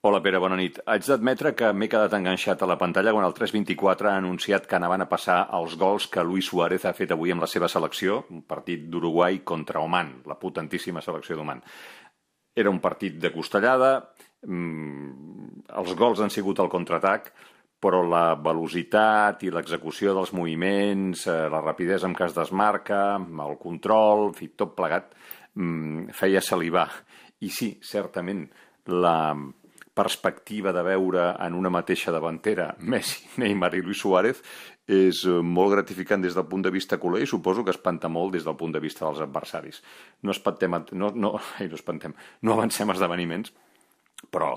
Hola Pere, bona nit. Haig d'admetre que m'he quedat enganxat a la pantalla quan el 324 ha anunciat que anaven a passar els gols que Luis Suárez ha fet avui amb la seva selecció, un partit d'Uruguai contra Oman, la potentíssima selecció d'Oman. Era un partit de costellada, els gols han sigut al contraatac, però la velocitat i l'execució dels moviments, la rapidesa amb què es desmarca, el control, en fi, tot plegat, feia salivar. I sí, certament, la perspectiva de veure en una mateixa davantera Messi, Neymar i Luis Suárez és molt gratificant des del punt de vista culer i suposo que espanta molt des del punt de vista dels adversaris. No avancem esdeveniments, però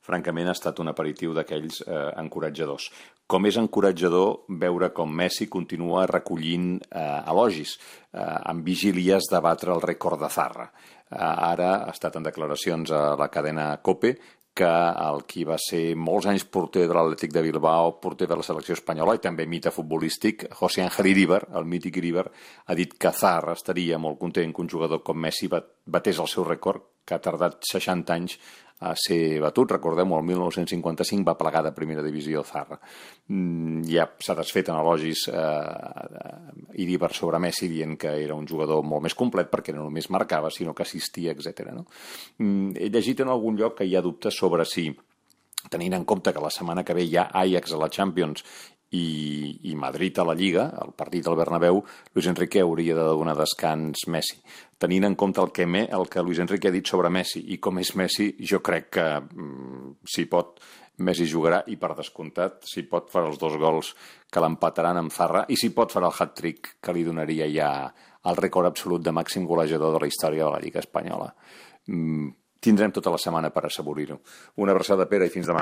francament ha estat un aperitiu d'aquells encoratjadors. Com és encoratjador veure com Messi continua recollint elogis amb vigílies de batre el rècord de Zarra. Ara ha estat en declaracions a la cadena COPE que el qui va ser molts anys porter de l'Atlètic de Bilbao, porter de la selecció espanyola i també mite futbolístic, José Ángel Iríbar, el mític Iríbar, ha dit que Zarra estaria molt content que un jugador com Messi batés el seu rècord, que ha tardat 60 anys a ser batut. Recordem-ho, el 1955 va plegar de primera divisió Zarra. Ja s'ha desfet en elogis Iríbar sobre Messi dient que era un jugador molt més complet perquè no només marcava, sinó que assistia, etc. No? He llegit en algun lloc que hi ha dubtes sobre si, tenint en compte que la setmana que ve hi ha Ajax a la Champions i Madrid a la Lliga, el partit al Bernabéu, Luis Enrique hauria de donar descans Messi. Tenint en compte el que Luis Enrique ha dit sobre Messi i com és Messi, jo crec que si pot, Messi jugarà i per descomptat, si pot farà els 2 gols que l'empataran amb Zarra i si pot farà el hat-trick que li donaria ja el rècord absolut de màxim golejador de la història de la Lliga Espanyola. Tindrem tota la setmana per assaborir-ho. Una abraçada, Pere, i fins demà.